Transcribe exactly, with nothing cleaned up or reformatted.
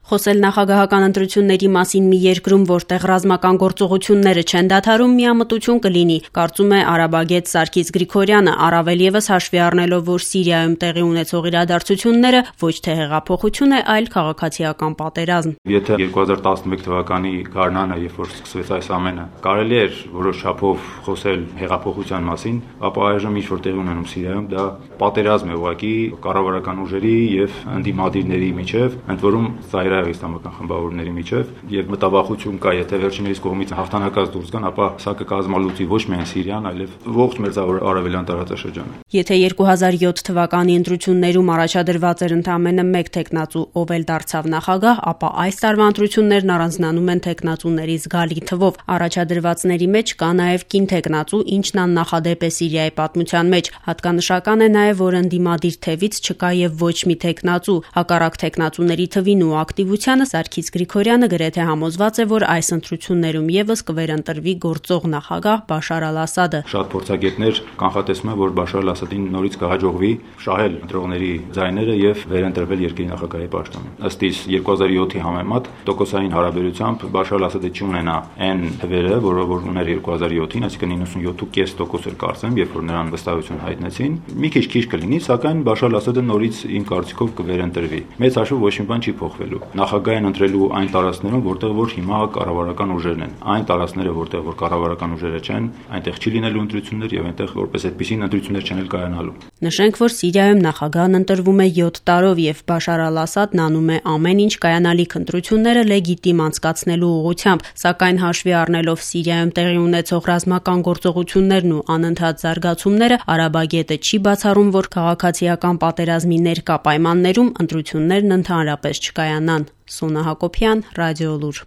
Խոսել նախագահական ընտրությունների մասին մի երկրում, որտեղ ռազմական գործողությունները չեն դադարում, միամտություն կլինի, կարծում է արաբագետ Սարգիս Գրիգորյանը, առավել ևս հաշվի առնելով, որ Սիրիայում տեղի ունեցող իրադարձությունները ոչ թե հեղափոխություն է, այլ քաղաքացիական պատերազմ։ Եթե երկու հազար տասնմեկ թվականի գարնանը, երբ որ սկսվեց այս ամենը, կարելի էր որոշ չափով խոսել հեղափոխության մասին, ապա այժմ ինչ որ տեղի ունենում Սիրիայում, դա պատերազմ է ուղղակի կառավարական ուժերի եւ ընդդիմադիրների միջեւ, ընդ որում ծայրահեղ իսլամական խմբավորների միջև, եւ մտավախություն կա, եթե վերջինիս կողմից հաղթանակած դուրս գան, ապա սա կկազմալուծի ոչ միայն Սիրիան, այլև ողջ մերձավոր արևելյան տարածաշրջանը։ Եթե երկու հազար յոթ թվականի ընտրություններում առաջադրված էր ընդամենը մեկ թեկնածու, ով էլ դարձավ նախագահ, ապա այս տարվա ընտրություններն առանձնանում են թեկնածուների զգալի թվով։ Առաջադրվածների մեջ կա նաեւ կին թեկնածու, ինչն աննախադեպ է Սիրիայի պատմության մեջ։ Հատկանշական է նաեւ, որ ընդդիմադիր թևից չկա եւ ոչ մի թեկնածու, հակառակ թեկնածուների թվին ու ակտիվությանը Սարգիս Գրիգորյանը գրեթե համոզված է, որ այս ընտրություններում եւս կվերընտրվի գործող նախագահ Բաշար Ալ-Ասադը։ Շատ փորձագետներ կանխատեսում են, որ Բաշար Ալ-Ասադին նորից կհաջողվի շահել ընտրողների ձայները եւ վերընտրվել երկրի նախագահի պաշտոնին։ Ըստ իս երկու հազար յոթի համեմատ տոկոսային հարաբերությամբ Բաշար Ալ-Ասադը չունենա այն թվերը, որը որ ուներ երկու հազար յոթին, այսինքն իննսունյոթ կόμμα պենս տոկոս էր կարծեմ, երբ որ նրան վստահություն հայտնեցին։ Մի քիչ քիչ կլինի, սակայն Բաշար Ալ-Ասադը նորից իմ կարծիքով կվերընտրվի։ Մեծ հաշվով ոչ մի բան չի փոխվելու։ Նախագահային ընտրելու այն տարածքներում, որտեղ որ հիմա կառավարական ուժերն են։ Այն տարածքները, որտեղ որ կառավարական ուժերը չեն, այնտեղ չի լինելու ընտրություններ եւ այնտեղ որպես այդպեսին ընտրություններ չեն էլ կայանալու։ Նշենք, որ Սիրիայում նախագահն ընտրվում է յոթ տարով եւ Բաշար Ալ-Ասադն անում է ամեն ինչ կայանալիք ընտրությունները լեգիտիմ անցկացնելու ուղղությամբ, սակայն հաշվի առնելով Սիրիայում տեղի ունեցող ռազմական գործողություններն ու անընդհատ զարգացումները, արաբագետը չի բացառում, որ քաղաքացիական պատերազմի ներկա պայմաններում ընտրություններն ընդհանրապես չկայանան։ Սոնա Հակոբյան, Ռադիոլուր։